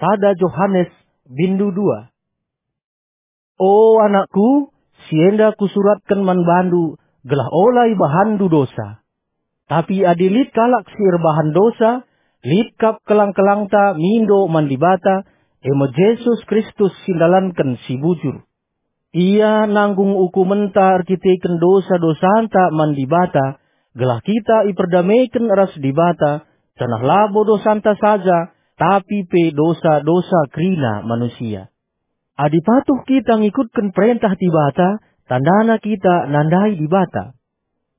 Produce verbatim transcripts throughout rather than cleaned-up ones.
Sada Johanes, bindu dua. O anakku, si enda kusuratken man bandu, gelah ola ibahanndu dosa. Tapi adi lit kalak si erbahan dosa, lit kap kelang-kelangta mindo man Dibata, e me Jesus Kristus si ndalanken si bujur. Ia nanggung ukumenta erkiteken dosa-dosanta man Dibata, gelah kita iperdameken ras Dibata, janah labo dosanta saja, tapi pe dosa-dosa kerina manusia. Adi patuh kita ngikutken perentah Dibata, tandana kita nandai Dibata.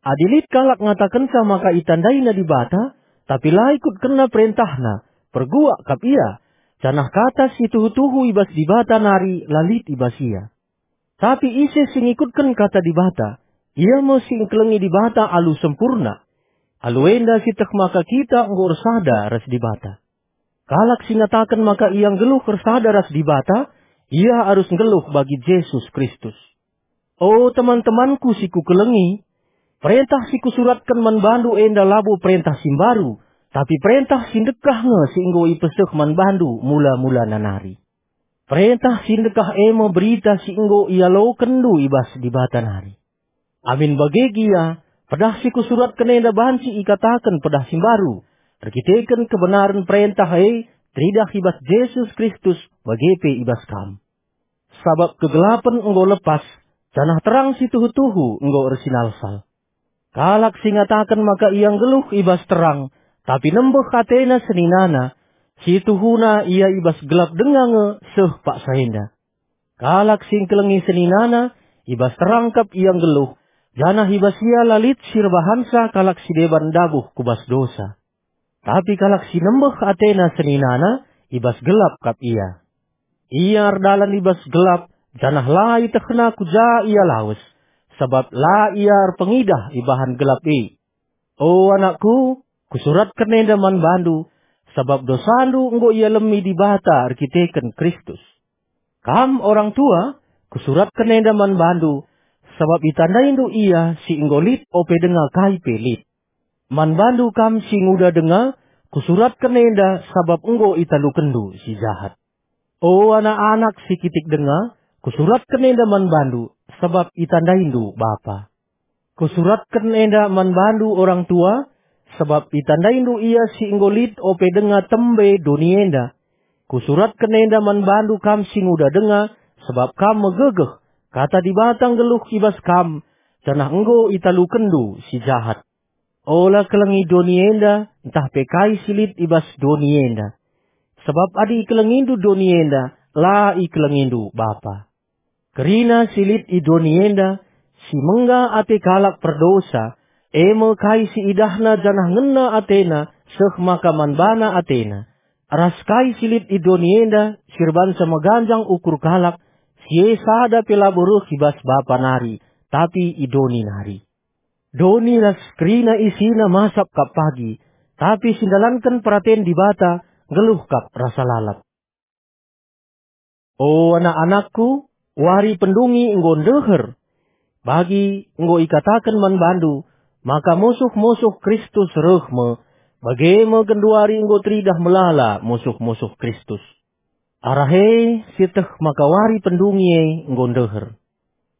Adi lit kalak ngatakenca maka itandaina Dibata, tapi la ikutkenna perentahNa, perguak kap ia, janah kata si tuhu-tuhu i bas Dibata nari la lit i bas ia. Tapi ise si ngikutken kata Dibata, ia me si engkelengi Dibata alu sempurna. Alu enda sieteh maka kita enggo ersada ras Dibata. Kalak si ngataken maka ia nggeluh ersada ras Dibata, ia arus nggeluh bagi Jesus Kristus. O teman-temanku si kukelengi, perentah si kusuratken man bandu enda labo perentah si mbaru, tapi perentah si ndekah nge si enggo ipeseh man bandu mula-mulana nari. Perentah si ndekah e me berita si enggo ialokenndu i bas Dibata nari. Amin bage gia, pedah si kusuratken enda banci ikataken pedah si mbaru, erkiteken kebenaren perentah e teridah i bas Jesus Kristus bage pe i bas kam. Sabap kegelapen enggo lepas, janah terang si tuhu-tuhu enggo ersinalsal. Kalak si ngataken maka ia nggeluh i bas terang, tapi nembeh atena seninana, si tuhuna ia i bas gelap denga nge seh paksa enda. Kalak si engkelengi seninana, i bas terang kap ia nggeluh, janah i bas ia la lit si erbahanca kalak si deban ndabuh ku bas dosa. Tapi kalak si nembeh atena seninana, i bas gelap kap ia. Ia erdalan i bas gelap, janah la ietehna ku ja ia lawes, sabap la ia erpengidah ibahan gelap e. O anakku, kusuratken enda man bandu, sabap dosandu enggo ialemi Dibata erkiteken Kristus. Kam orang tua, kusuratken enda man bandu, sabap itandaindu ia si enggo lit ope denga kai pe lit. Man bandu kam si nguda denga, kusuratken enda sabap enggo italukenndu si jahat. O anak-anak si kitik denga, kusuratken enda man bandu, sabap itandaindu bapa. Kusuratken enda man bandu orang tua, sabap itandaindu ia si enggo lit ope denga tembe doni enda. Kusuratken enda man bandu kam si nguda denga, sabap kam megegeh, kata Dibata nggeluh i bas kam, janah enggo italukenndu si jahat. Ola kelengi doni enda, ntah pe kai si lit i bas doni enda. Sabap adi ikelengindu doni enda, la ikelengindu Bapa. Kerina si lit i doni enda, si mengga ate kalak perdosa, e me kai si idahna janah ngena atena seh maka man bana atena, ras kai si lit i doni enda, si erbansa meganjang ukur kalak, si e sada pe labo reh i bas Bapa nari, tapi i doni nari. Doni ras kerina isina masap kap pagi, tapi si ndalanken peraten Dibata nggeluh kap rasa lalap. O anak-anakku, wari pendungi enggo ndeher. Bagi enggo ikataken man bandu, maka musuh-musuh Kristus reh me, bage me genduari enggo teridah melala musuh-musuh Kristus. Arah e sieteh maka wari pendungi e enggo ndeher.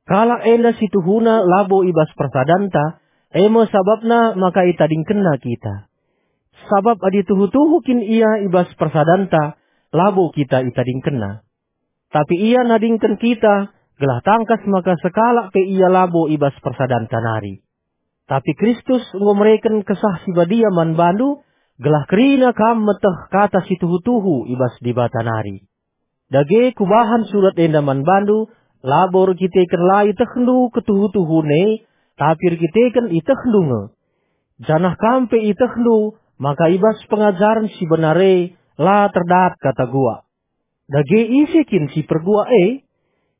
Kalak enda si tuhuna labo i bas persadanta, e me sabapna maka itadingkenna kita. Sabap adi tuhu-tuhu kin ia i bas persadanta, labo kita itadingkenna. Tapi ia nadingken kita, gelah tangkas maka sekalak pe ia labo i bas persadanta nari. Tapi Kristus enggo mereken Kesah Si Badia man bandu, gelah kerina kam meteh kata si tuhu-tuhu i bas Dibata nari. Dage kubahan surat enda man bandu, labo erkiteken la itehndu ketuhu-tuhun e, tapi erkiteken itehndu nge. Janah kam pe itehndu maka i bas pengajaren si benar e la terdat kata guak. Dage ise kin si perguak e?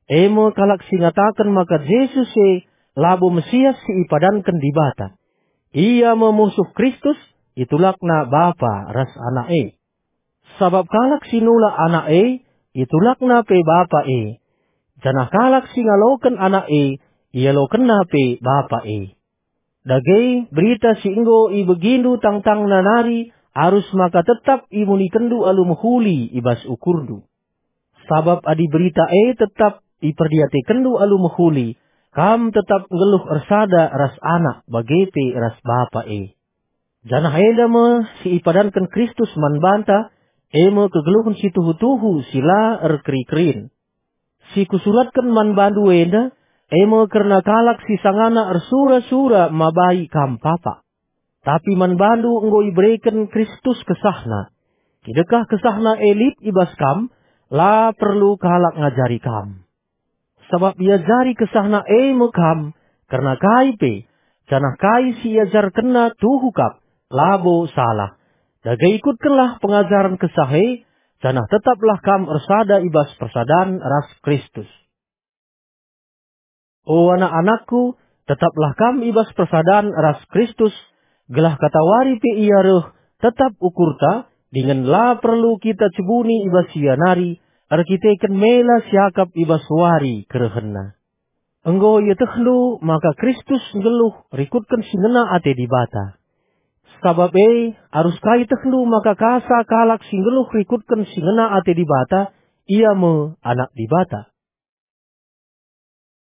E me kalak si ngataken maka Jesus e labo Mesias si ipadanken Dibata. Ia me musuh Kristus, itulakna Bapa ras Anak e. Sabap kalak si nulak Anak e, itulakna pe Bapa e. Janah kalak si ngaloken Anak e, ialokenna pe Bapa e. Dage, berita si enggo ibegindu tangtangna nari arus maka tetap imunikenndu alu mehuli i bas ukurndu. Sabap adi berita e tetap iperdiatekenndu alu mehuli, kam tetap nggeluh ersada ras Anak bage pe ras Bapa e. Janah enda me si ipadanken Kristus man banta, e me kegeluhen si tuhu-tuhu si la erkeri-kerin. Si kusuratken man bandu enda, e me kerna kalak si sangana ersura-sura mabai kam papa. Tapi man bandu enggo ibereken Kristus kesahna. Kidekah kesahna e lit i bas kam, la perlu kalak ngajari kam. Sabap iajari kesahna e me kam, kerna kai pe, janah kai si iajarkenna tuhu kap, labo salah. Dage ikutkenlah pengajaren kesah e, janah tetaplah kam ersada i bas persadan ras Kristus. O anak-anakku, tetaplah kam i bas persadan ras Kristus, gelah katawari pe Ia reh, tetap ukurta, dingen la perlu kita cebuni i bas Ia nari, erkiteken mela siakap i bas wari kerehenNa. Enggo ietehndu maka Kristus nggeluh rikutken si ngena ate Dibata. Sabap e, arus ka ietehndu maka kasa kalak si nggeluh rikutken si ngena ate Dibata, ia me anak Dibata.